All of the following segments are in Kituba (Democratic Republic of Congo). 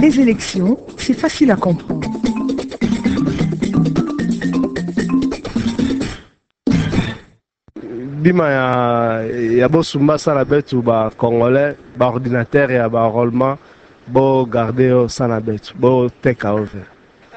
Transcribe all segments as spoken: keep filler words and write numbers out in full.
Les élections, c'est facile à comprendre. Bima ya, ya bo sumba sa na beto ba Congolais, ba ordinateur ya ba enrôlement, bo garder yo sa na beto, bo teka yo ve.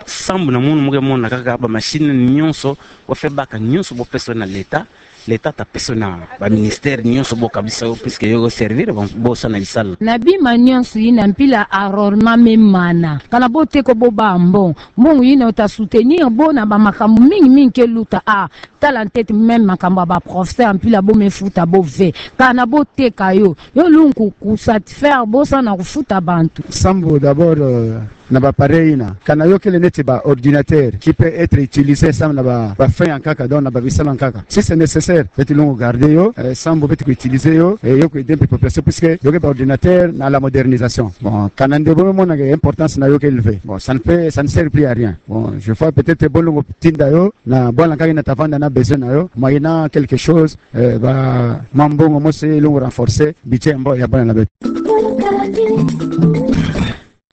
Sambu na munu mo ke mona kaka ba machine nyonso, bo fwe baka nyonso bo pesa yo na l'État, l'État ta pesa yo na ba ministère nyonso bo kabisa yo, puisque yo servir bo, bo sa na bisalu. Na bima nyonso yina mpila enrôlement me mana. Kana bo teka yo bo bâ mbongo. Mbongo yina yo ta soutenir bo na ba makambu mingi mingi ke luta. Ah, tala ntete même makambu ya ba professeur mpila bo me futa bo ve. Kana bo teka yo, yo lungu ku satisfaire bo sa na kufuta bantu. Sambu d'abord, euh, na ba appareil yina. Kana yo kele neti ba ordinateur qui peut être utilisé sambu na ba, ba fin ya nkaka, donc na ba bisalu ya nkaka. Si c'est nécessaire, beto lungu garder yo, eh, sambu beto ku utiliser yo, eh, yo ku aider mpe population, puisque yo ke ba ordinateur na la modernisation. Bon, kana nde bo me mona ke importance na yo ke élevée. Bon, ça ne peut, ça ne sert plus à rien. Bon, je vois peut-être bo lungu tinda yo na bwala nkaka yina ta vanda na besoin na yo, moyennant quelque chose, eh, ba mwa mbongo mosi lungu renforcer budget mbo ya bwala na beto.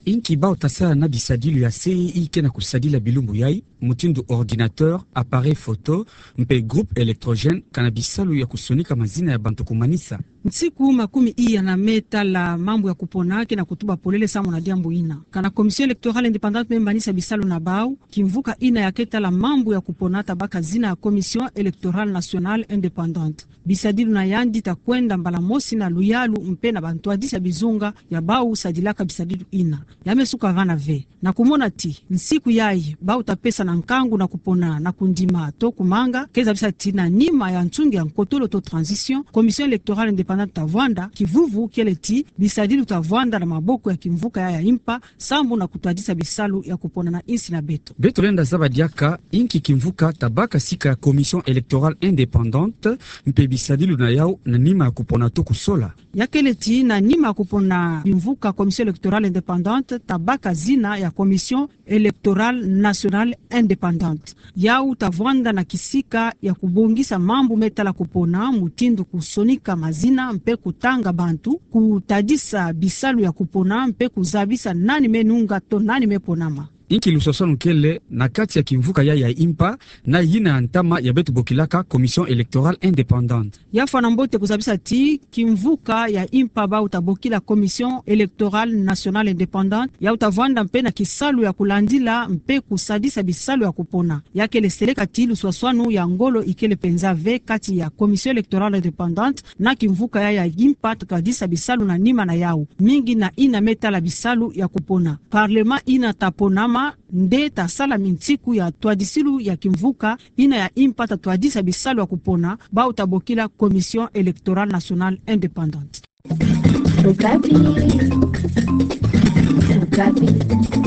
Inki bau ta sala na bisadilu ya C E I ke na kusadila bilumbu yai, mutindu ordinateur, appareil photo, mpe groupe électrogène, kana bisalu ya kusonika mazina ya bantu ku manisa. Nsiku makumi iya na me tala mambu ya kupona ke na kutuba polele sambu na diambu yina. Kana Commission électorale indépendante me manisa bisalu na bau, kimvuka yina ya ke tala mambu ya kupona ta baka zina ya Commission électorale nationale indépendante. Bisadilu na yandi ta kwenda mbala mosi na luyalu mpe na ba ntwadisi ya bizunga ya bau sadilaka bisadilu yina. Ya me suka vana ve. Na kumona ti nsiku yai bau ta pesa na nkangu na kupona na kundima to kumanga, ke zabisa ti na nima ya nsungi ya nkotolo to transition, Commission électorale indépendante ta vwanda, kivuvu kele ti bisadilu ta vwanda na maboko ya kimvuka ya, ya impa, sambu na kutwadisa bisalu ya kupona na insi na beto. Beto lenda zaba diaka inki kimvuka ta baka sika ya Commission électorale indépendante, mpe bisadilu na yau na nima ya kupona to kusola. Ya kele ti na nima ya kupona kimvuka Commission électorale indépendante ta baka zina ya Commission électorale nationale indépendante. Yau ta vwanda na kisika ya kubongisa mambu me tala kupona, mutindu kusonika mazina mpe kutanga bantu, kutadisa bisalu ya kupona mpe kuzabisa nani me nunga to nani me ponama. Inki luswaswanu kele na kati ya kimvuka ya, ya impa na yina ya ntama ya beto bokilaka Commission électorale indépendante? Ya fwana mbote kuzabisa ti kimvuka ya impa bau ta bokila Commission électorale nationale indépendante, yau ta vwanda mpe na kisalu ya kulandila mpe kusadisa bisalu ya kupona. Ya kele seleka ti luswaswanu ya ngolo ikele penza ve kati ya Commission électorale indépendante na kimvuka ya, ya impa ta twadisa bisalu na nima na yau, mingi na yina me tala bisalu ya kupona. Parlement yina ta ponama nde ta sala minsiku ya twadisilu ya kimvuka yina ya impa ta twadisa bisalu ya kupona, bau ta bokila Commission électorale nationale indépendante. Okapi. Okapi.